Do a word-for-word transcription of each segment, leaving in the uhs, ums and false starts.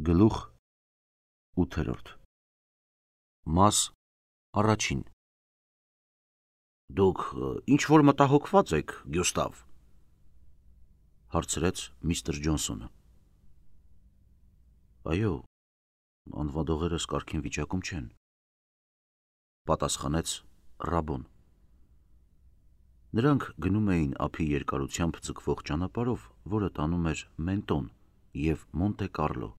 Գլուխ ութերորդ Մաս առաջին Դուք ինչ-որ մտահոգված եք, Գյուստավ, հարցրեց միստր Ջոնսոնը։ Այո, անվադողերս կարգին վիճակում չեն, պատասխանեց Ռաբոն։ Նրանք գնում էին ափի երկարությամբ ձգվող ճանապարհով, որը տանում էր Մենտոն և Մոնտե Կարլո։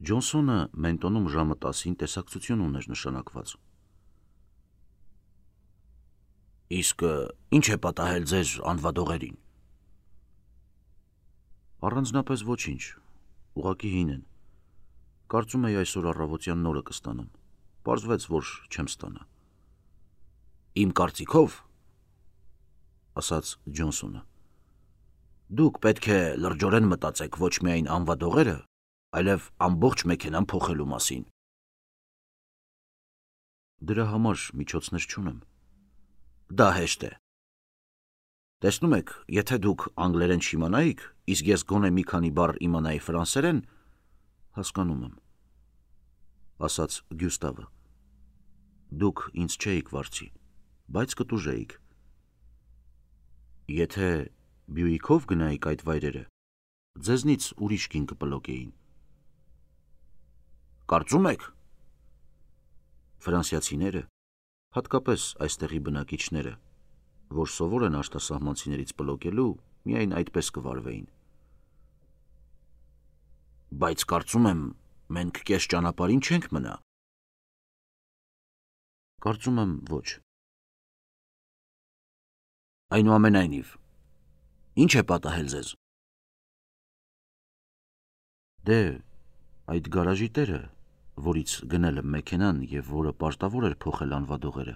Ջոնսոնը Մենտոնում ժամը տասին տեսակցություն ուներ նշանակված։ Իսկ ինչ է պատահել ձեզ անվադողերին։ Առանձնապես ոչինչ, ուղղակի հին են։ Կարծում էի այսօր առավոտյան նորը կստանամ, պարզվեց, որ չեմ ստանա։ Իմ կարծիքով, ասաց Ջոնսոնը, դուք պետք է լրջորեն մտածեք ոչ միայն անվադողերը, այլև ամբողջ մեքենան փոխելու մասին։ Դրա համար միջոցներ չունեմ։ Դա հեշտ է։ Տեսնում եք, եթե դուք անգլերեն չիմանայիք, իսկ ես գոնե մի քանի բառ իմանայի ֆրանսերեն, հասկանում եմ, ասաց Գյուստավը։ Դուք ինձ չէիք վարձի, բայց կտուժեիք։ Եթե Բյուիկով գնայիք այդ վայրերը, ձեզնից ուրիշ կին կպլոկեին։ Կարծում եք։ Ֆրանսիացիները, հատկապես այստեղի բնակիչները, որ սովոր են արտասահմանցիներից պլոկելու, միայն այդպես կվարվեին։ Բայց կարծում եմ, մենք կես ճանապարհին չենք մնա։ Կարծում եմ, ոչ։ Այնուամենայնիվ, ինչ է պատահել ձեզ։ Դե, այդ գարաժի տերը, որից գնել եմ մեքենան և որը պարտավոր էր փոխել անվադողերը,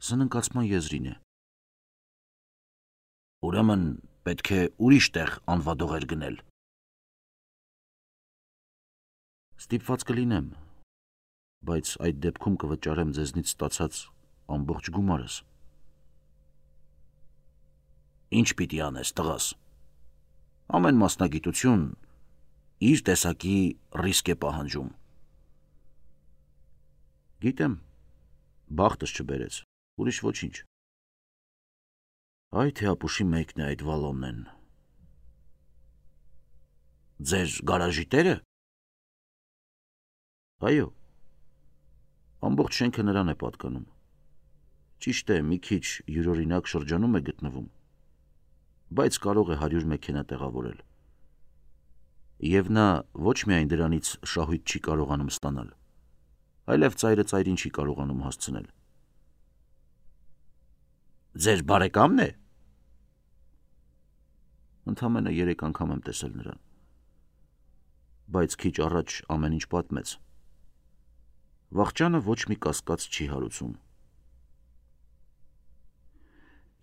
սննկացման եզրին է։ Ուրեմն պետք է ուրիշ տեղ անվադողեր գնել։ Ստիպված կլինեմ, բայց այդ դեպքում կվճարեմ ձեզնից ստացած ամբողջ գումարս։ Ինչ պիտի անես, տղաս։ Ամեն մասնագիտություն իր տեսակի ռիսկ է պահանջում։ Գիտեմ, բախտս չբերեց, ուրիշ ոչինչ։ Այ թե ապուշի մեկն է այդ Վալոննեն։ Ձեր գարաժի տերը։ Այո, ամբողջ շենքը նրան է պատկանում։ Ճիշտ է, մի քիչ յուրօրինակ շրջանում է գտնվում, բայց կարող է հարյուր մեքենա տեղավորել։ Եվ նա ոչ միայն դրանից շահույթ չի կարողանում ստանալ, այլև ծայրը ծայրին չի կարողանում հասցնել։ Ձեր բարեկամն է։ Ընդամենը երեք անգամ եմ տեսել նրան, բայց քիչ առաջ ամեն ինչ պատմեց։ Վախճանը ոչ մի կասկած չի հարուցում։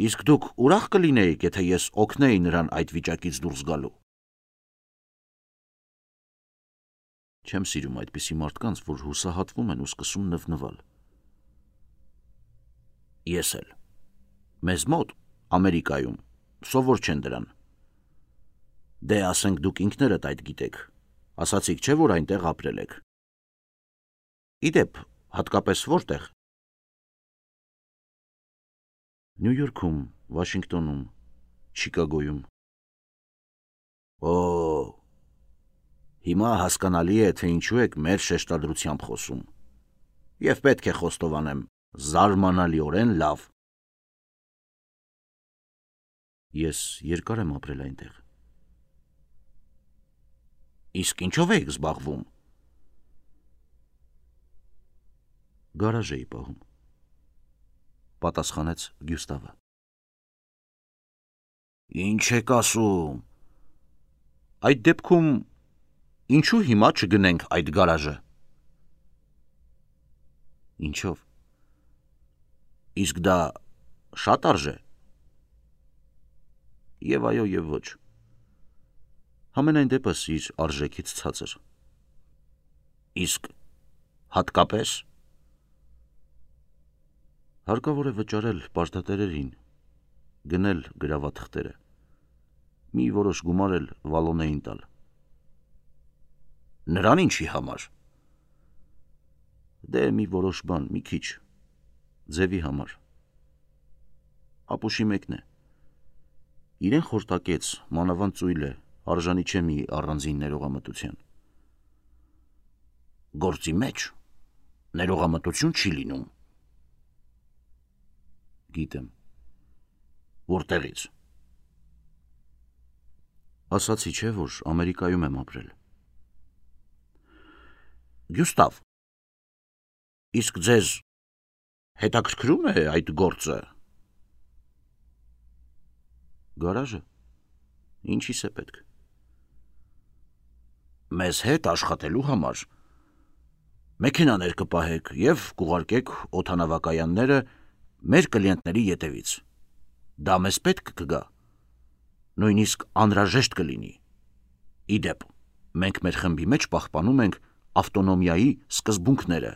Իսկ դուք ուրախ կլինեիք, եթե ես օգնեի նրան այդ վիճակից դուրս գալու։ Չեմ սիրում այդպիսի մարդկանց, որ հուսահատվում են ու սկսում նվնվալ։ Ես էլ։ Մեզ մոտ, Ամերիկայում, սովոր չեն դրան։ Դե ասենք դուք ինքներդ այդ գիտեք, ասացիք չէ, որ այնտեղ ապրել եք։ Իդեպ, հատկապես որտեղ։ Նյու Յորքում, Վաշինգտոնում, Չիկագոյում։ Օ, հիմա հասկանալի է, թե ինչու եք մեր շեշտադրությամբ խոսում։ Եվ պետք է խոստովանեմ, զարմանալիորեն լավ։ Ես երկար եմ ապրել այնտեղ։ Իսկ ինչով եք զբաղվում։ Գարաժ էի պահում, պատասխանեց Գյուստավը։ Ինչ եք ասում։ Այդ դեպքում ինչու հիմա չգնենք այդ գարաժը։ Ինչով։ Իսկ դա շատ արժե։ Եվ այո, և ոչ։ Համենայն դեպս իր արժեքից ցածր։ Իսկ հատկապես։ Հարկավոր է վճարել պարտատերերին, գնել գրավաթղթերը, մի որոշ գումար էլ Վալոնեին տալ։ Նրան ինչի համար։ Դե մի որոշ բան, մի քիչ, ձևի համար։ Ապուշի մեկն է։ Իրեն խորտակեց, մանավանդ ծույլ է, արժանի չէ մի առանձին ներողամտության։ Գործի մեջ ներողամտություն չի լինում։ Գիտեմ։ Որտեղից։ Ասացի չէ, որ Ամերիկայում եմ ապրել։ Գյուստավ, իսկ ձեզ հետաքրքրում է այդ գործը։ Գարաժը, ինչի՞ս է պետք։ Մեզ հետ աշխատելու համար մեքենաներ կպահեք և կուղարկեք օդանավակայանները մեր կլիենտների ետևից։ Դա մեզ պետք կգա, նույնիսկ անհրաժեշտ կլինի։ Իդեպ, մենք մեր խմբի մեջ պահպանում ենք ավտոնոմիայի սկզբունքները,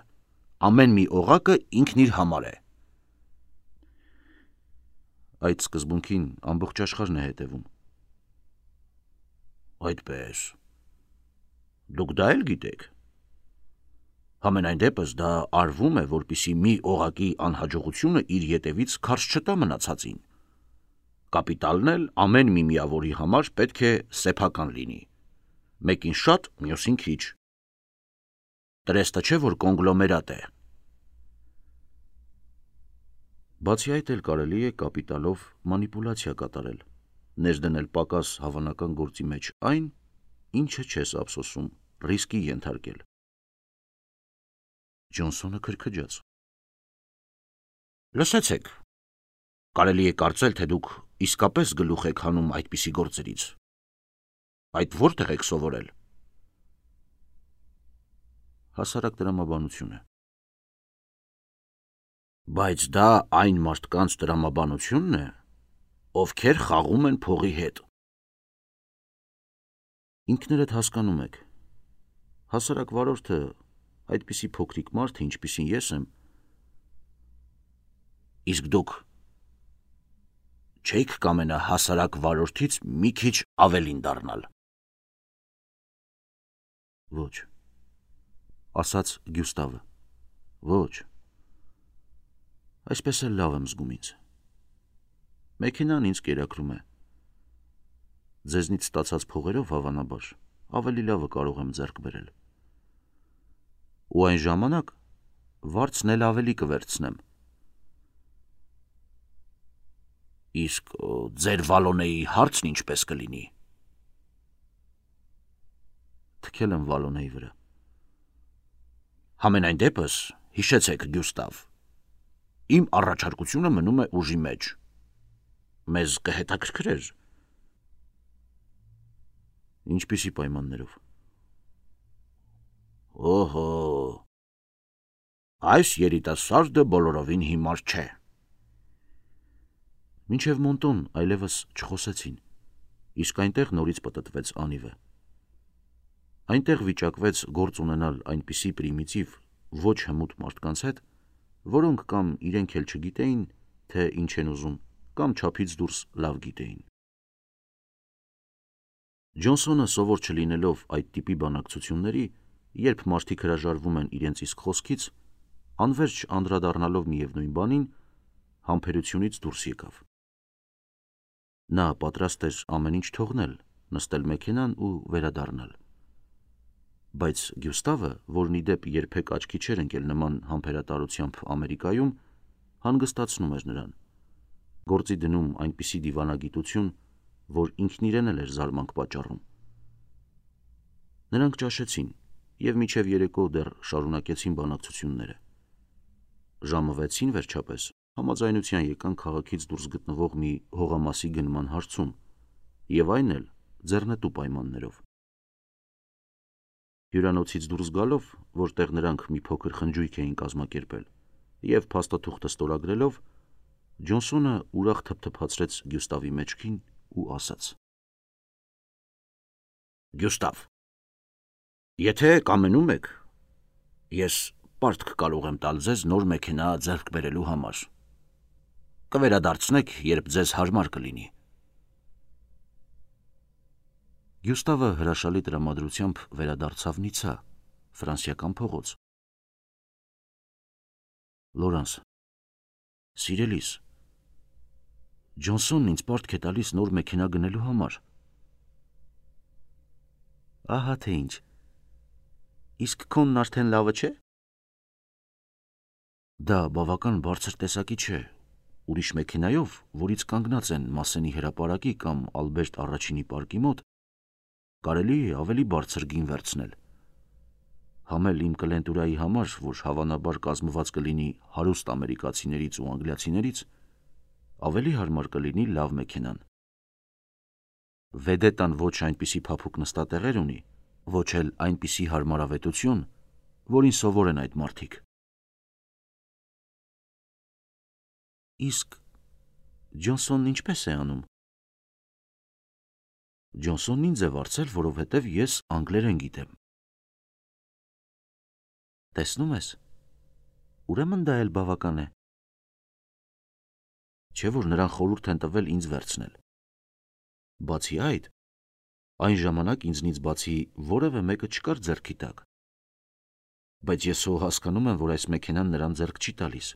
ամեն մի օղակը ինքն իր համար է։ Այդ սկզբունքին ամբողջ աշխարհն է հետևում։ Այդպես։ Դուք դա էլ գիտեք։ Համենայն դեպս դա արվում է, որպեսզի մի օղակի անհաջողությունը իր ետևից քարշ չտա մնացածին։ Կապիտալն էլ ամեն մի միավորի համար պետք է սեփական լինի։ Մեկին շատ, մյուսին քիչ։ Տրեստը չէ, որ կոնգլոմերատ է։ Բացի այդ էլ կարելի է կապիտալով մանիպուլյացիա կատարել, ներդնել պակաս հավանական գործի մեջ այն, ինչը չես ափսոսում, ռիսկի ենթարկել։ Ջոնսոնը քրքջաց։ Լսեցեք, կարելի է կարծել, թե դուք իսկապես գլուխ եք հանում այդպիսի գործերից։ Այդ որտեղ եք սովորել։ Հասարակ տրամաբանություն է։ Բայց դա այն մարդկանց տրամաբանությունն է, ովքեր խաղում են փողի հետ։ Ինքներդ հասկանում եք, հասարակ վարորդը, այդպիսի փոքրիկ մարդ, ինչպիսին ես եմ, իսկ դուք չեք կամենա հասարակ վարորդից մի քիչ ավելին դառնալ։ Ոչ, ասաց Գյուստավը, ոչ, այսպես էլ լավ եմ զգում ինձ։ Մեքենան ինձ կերակրում է։ Ձեզնից ստացած փողերով հավանաբար ավելի լավը կարող եմ ձեռք բերել։ Ու այն ժամանակ վարձն էլ ավելի կվերցնեմ։ Իսկ ձեր վալոնեի հարցն ինչպես կլինի։ Թքել եմ վալոնեի վրա։ Համենայն դեպս, հիշեցեք, Գյուստավ, իմ առաջարկությունը մնում է ուժի մեջ։ Մեզ կհետաքրքրեր։ Ինչպիսի պայմաններով։ Օհո, այս երիտասարդը բոլորովին հիմար չէ։ Մինչև Մոնտոն այլևս չխոսեցին, իսկ այնտեղ նորից պտտվեց անիվը։ Այնտեղ վիճակվեց գործ ունենալ այնպիսի պրիմիտիվ, ոչ հմուտ մարդկանց հետ, որոնք կամ իրենք էլ չգիտեին, թե ինչ են ուզում, կամ չափից դուրս լավ գիտեին։ Ջոնսոնը սովոր չլինելով այդ տիպի բանակցությունների, երբ մարդիկ հրաժարվում են իրենց իսկ խոսքից, անվերջ անդրադառնալով միևնույն բանին, համբերությունից դուրս եկավ։ Նա պատրաստ էր ամեն ինչ թողնել, նստել մեքենան ու վերադառնալ։ Բայց Գյուստավը, որն ի դեպ երբեք աչքի չէր ընկել նման համբերատարությամբ Ամերիկայում, հանգստացնում էր նրան, գործի դնում այնպիսի դիվանագիտություն, որ ինքն իրեն էլ էր զարմանք պատճառում։ Նրանք ճաշեցին և մինչև երեկո դեռ շարունակեցին բանակցությունները։ Ժամը վեցին վերջապես համաձայնության եկան քաղաքից դուրս գտնվող մի հողամասի գնման հարցում, և այն էլ ձեռնտու պայմաններով։ Հյուրանոցից դուրս գալով, որտեղ նրանք մի փոքր խնջույք էին կազմակերպել, և փաստաթուղթը ստորագրելով, Ջոնսոնը ուրախ թփթփացրեց Գյուստավի մեջքին ու ասաց. Գյուստավ, եթե կամենում եք, ես պարտք կարող եմ տալ ձեզ նոր մեքենա ձեռք բերելու համար։ Կվերադարձնեք, երբ ձեզ հարմար կլինի։ Գյուստավը հրաշալի տրամադրությամբ վերադարձավ Նիցա, ֆրանսիական փողոց։ Լորանս, սիրելիս, Ջոնսոնն ինձ պարտք է տալիս նոր մեքենա գնելու համար։ Ահա թե ինչ։ Իսկ քոնն արդեն լավը չէ։ Դա բավական բարձր տեսակի չէ։ Ուրիշ մեքենայով, որից կանգնած են Մասենի հրապարակի կամ Ալբերտ առաջինի պարկի մոտ, կարելի է ավելի բարձր գին վերցնել։ Համել իմ կլենտուրայի համար, որ հավանաբար կազմված կլինի հարուստ ամերիկացիներից ու անգլիացիներից, ավելի հարմար կլինի լավ մեքենան։ Վեդետան ոչ այնպիսի փափուկ նստատեղեր ունի, ոչ էլ այնպիսի հարմարավետություն, որին սովոր են այդ մարդիկ։ Իսկ Ջոնսոնն ինչպես է անում։ Ջոնսոնն ինձ է վարձել, որովհետև ես անգլերեն գիտեմ։ Տեսնում ես, ուրեմն դա էլ բավական է։ Չէ՞ որ նրան խորհուրդ են տվել ինձ վերցնել։ Բացի այդ, այն ժամանակ ինձնից բացի որևէ մեկը չկար ձեռքի տակ։ Բայց ես հո հասկանում եմ, որ այս մեքենան նրան ձեռք չի տալիս։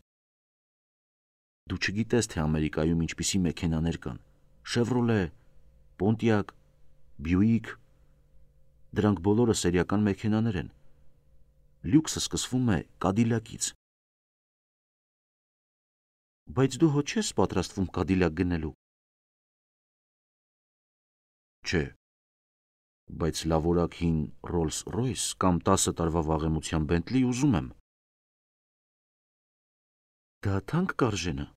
Դու չգիտես, թե Ամերիկայում ինչպիսի մեքենաներ կան։ Շևրոլե, Պոնտիակ, Բյուիկ, դրանք բոլորը սերիական մեքենաներ են։ Լյուքսը սկսվում է Կադիլակից։ Բայց դու հո չես պատրաստվում Կադիլակ գնելու։ Չէ, բայց լավորակ հին Rolls Royce կամ տասը տարվա վաղեմության Bentley ուզում եմ։ Դա թանկ կարժենա։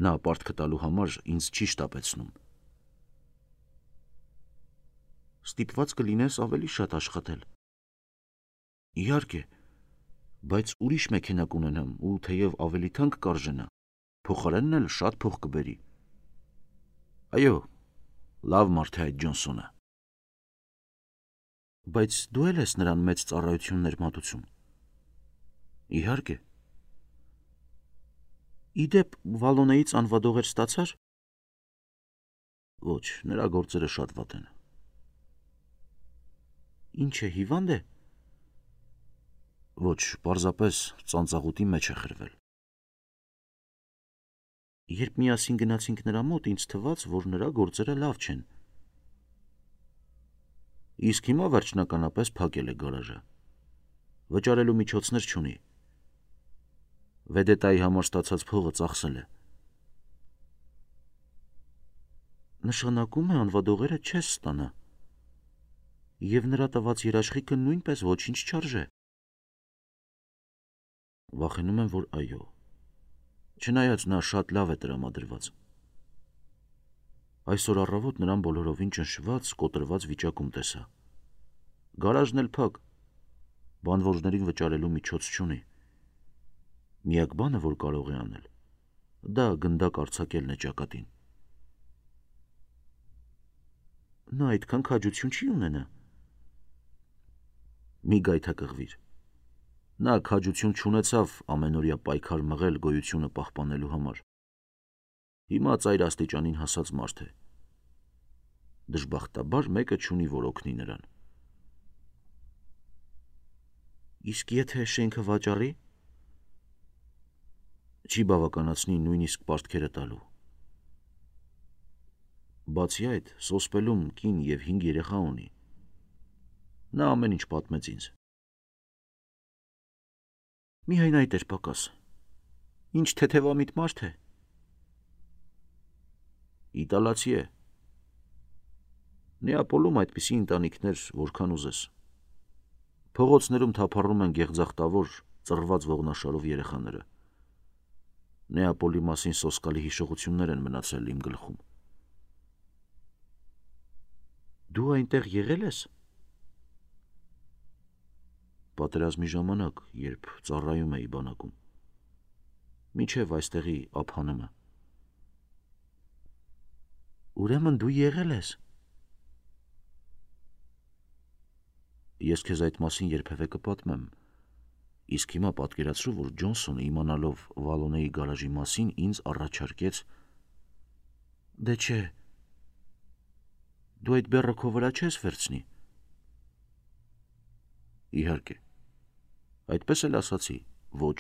Նա պարտքը տալու համար ինձ չի շտապեցնում։ Ստիպված կլինես ավելի շատ աշխատել։ Իհարկե, բայց ուրիշ մեքենա կունենամ ու թեև ավելի թանկ կարժենա, փոխարենն էլ շատ փող կբերի։ Այո, լավ մարդ է այդ Ջոնսոնը։ Բայց դու էլ ես նրան մեծ ծառայություններ մատուցում։ Իհարկե։ Իդեպ Վալոնեից անվադողեր ստացար։ Ոչ, նրա գործերը շատ վատ են։ Ինչ է, հիվանդ է։ Ոչ, պարզապես ծանծաղուտի մեջ է խրվել։ Երբ միասին գնացինք նրա մոտ, ինձ թվաց, որ նրա գործերը լավ չեն։ Իսկ հիմա վերջնականապես փակել է գարաժը։ Վճարելու միջոցներ չունի։ Վեդետայի համար ստացած փողը ծախսել է։ Նշանակում է անվադողերը չես ստանա։ Եվ նրա տված երաշխիքը նույնպես ոչինչ չարժե։ Վախենում եմ, որ այո։ Չնայած նա շատ լավ է տրամադրված։ Այսօր առավոտ նրան բոլորովին ճնշված, կոտրված վիճակում տեսա։ Գարաժն էլ փակ, բանվորներին վճարելու միջոց չունի։ Միակ բանը, որ կարող է անել, դա գնդակ արձակելն է ճակատին։ Նա այդքան քաջություն չի ունենա։ Մի գայթակղվիր։ Նա քաջություն չունեցավ ամենօրյա պայքար մղել գոյությունը պահպանելու համար։ Հիմա ծայր աստիճանին հասած մարդ է։ Դժբախտաբար մեկը չունի, որ օգնի նրան։ Իսկ եթե շենքը վաճառի, չի բավականացնի նույնիսկ պարտքերը տալու։ Բացի այդ, սոսպելում կին և հինգ երեխա ունի։ Նա ամեն ինչ պատմեց ինձ։ Միայն այդ էր պակաս։ Ինչ թեթևամիտ մարդ է։ Իտալացի է։ Նեապոլում այդպիսի ընտանիքներ որքան ուզես։ Փողոցներում թափառում են գեղձախտավոր, ծռված ողնաշարով երեխաները։ Նեապոլի մասին սոսկալի հիշողություններ են մնացել իմ գլխում։ Դու այնտեղ եղել ես։ Պատերազմի ժամանակ, երբ ծառայում էի բանակում։ Մինչև այստեղի ափանումը։ Ուրեմն դու եղել ես։ Ես քեզ այդ մասին երբևէ կպատմեմ։ Իսկ հիմա պատկերացրու, որ Ջոնսոնը իմանալով Վալոնեի գարաժի մասին ինձ առաջարկեց։ Դե չէ։ Դու այդ բեռը քո վրա չես վերցնի։ Իհարկե։ Այդպես էլ ասացի, ոչ։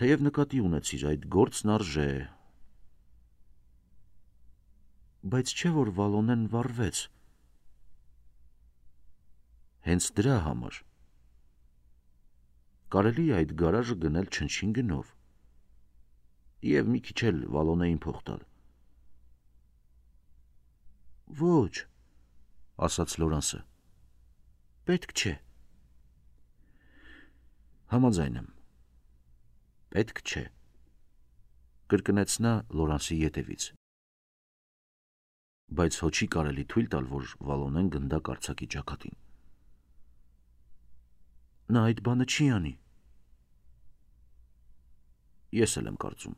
Թեև նկատի ունեցիր, այդ գործն արժե է։ Բայց չէ որ Վալոնեն վառվեց։ Հենց դրա համար։ Կարելի է այդ գարաժը գնել չնչին գնով։ Եվ մի քիչ էլ Վալոնեին փող տալ։ Ոչ, ասաց Լորանսը։ Պետք չէ։ Համաձայն եմ։ Պետք չէ, կրկնեց նա Լորանսի ետևից։ Բայց հո չի կարելի թույլ տալ, որ Վալոնեն գնդա կարծակի ճակատին։ Նա այդ բանը չի անի։ Ես էլ եմ կարծում։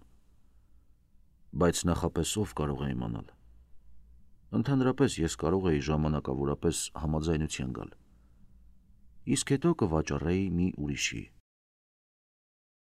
Բայց նախապես ով կարող է իմանալ։ Ընդհանրապես ես կարող էի ժամանակավորապես համաձայնության գալ։ Իսկ հետո կվաճառեի մի ուրիշի։